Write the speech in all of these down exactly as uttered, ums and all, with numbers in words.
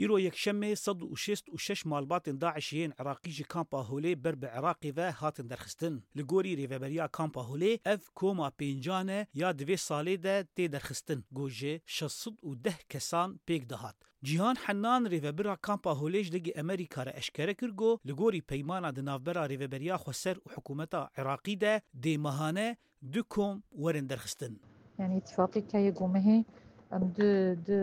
Îro yekşemê sed û şêst û şeş malbatên DAIŞê yên Iraqî ji kampa Holê ber bi Iraqê ve hatin derxistin. Li gorî rêveberiya kampa Holê ev koma pêncan e ya di vê salê de tê derxistin, ku ji şeş sed û deh kesan pêk dihat. Cîhan Hennan rêvebira kampa Holê ji Dengê Amerîka re eşkere kir ku li gorî peymana di navbera Rêveberiya Xweser û hikûmeta Iraqî de dê mehane du kom werin derxistin. Yani îtîfaqî keye ku mehê em du, du,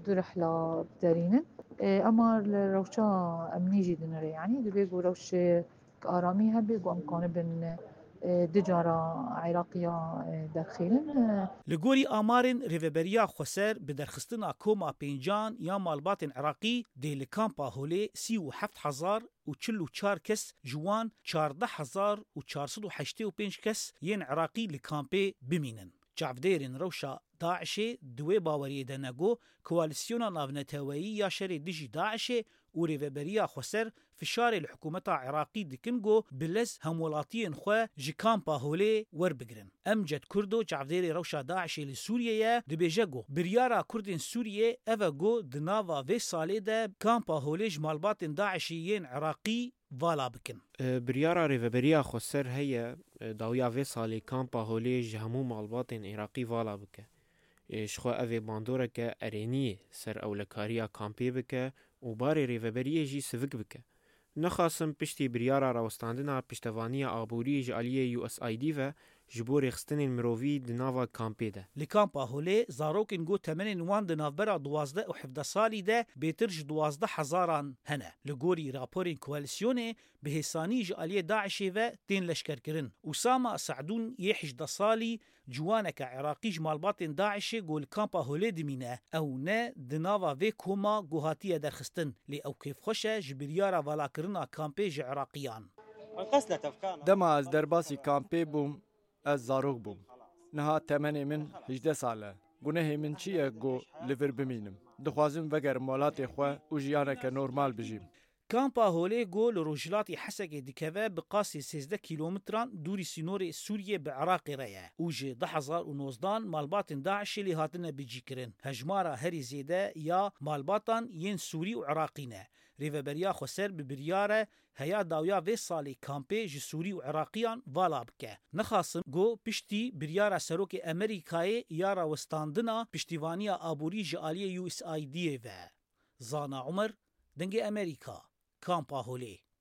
du rihla biderînin. E, ema li rewşa emnî jî dinire, yani dibê ku rewşê aramî hebe ku em kanibin, e, du cara Iraqiya, e, derxînin. E, Li gorî amarên Rêveberiya Xweser, bi derxistina koma pêncan ya malbatên Iraqî dê li kampa Holê sî û heft hezar û çil û çar kes, ji wan çardeh hezar û çar sed û heştê û pênc kes yên Iraqî li kampê bimînin. Çavdêrên rewşa DAIŞê di wê baweriyê de ne ku koalîsyona navneteweyî ya şerê dijî DAIŞê û Rêveberiya Xweser fişarê li hikûmeta Iraqî dikin ku bi lez hemwelatiyên xwe ji kampa Holê werbigirin. Emced Kurdo, çavdêrê rewşa DAIŞê li Sûriyê ye, dibêje ku biryara Kurdên Sûriyê ev e ku di nava vê salê de kampa Holê ji malbatên DAIŞê yên Iraqî vala bikin. E, biryara Rêveberiya Xweser heye, e, dawiya vê salê kampa Holê ji hemû malbatên Iraqî vala bike. E, ji xwe ev ê bandoreke erênî yê ser ewlekariya kampê bike û barê rêveberiyê jî sivik bike. Nexasim piştî biryara rawestandina piştevaniya aborî ji aliyê U S A I D ve ji bo rêxistinên mirovî di nava kampê de. Li kampa Holê zarokên ku temenên wan di navbera duwazdeh û hevdeh salî de bêtir ji duwazdeh hezaran hene. Li gorî raporên koalîsyonê, bi hêsanî ji aliyê DAIŞê ve tên leşkerkirin. Usama Se'dûn yê hejdeh salî, ciwaneke Iraqî ji malbatên DAIŞê ku li kampa Holê dimîne, ew ne di nava vê koma ku hatiye derxistin, lê ew kêfxweş e ji biryara valakirina kampê ji Iraqiyan. Dema ez derbasî kampê bûm, ez zarok bûm. Niha temenê min hejdeh sal e. Gunehê min çi ye ku li vir bimînim? Dixwazim vegerim welatê xwe û jiyaneke normal bijîm. Kampa Holê ku li rojhilatê Hesekê dikeve, bi qasî sêzdeh kîlometran dûrî sînorê Sûriyê bi Iraqê re ye û ji du hezar û nozdan malbatên DAIŞê lê hatine bicîkirin. Hejmara herî zêde ya malbatan yên Sûrî û Iraqî ne. Rêveberiya Xweser bi biryar e heya dawiya vê salê kampê ji Sûrî û Iraqiyan vala bike. Nexasim ku piştî biryara serokê Amerîkayê ya rawestandina piştîvaniya aborî ji aliyê U S A I D'ê ve. Zana Umer, Dengê Amerîka, Kampa Holê.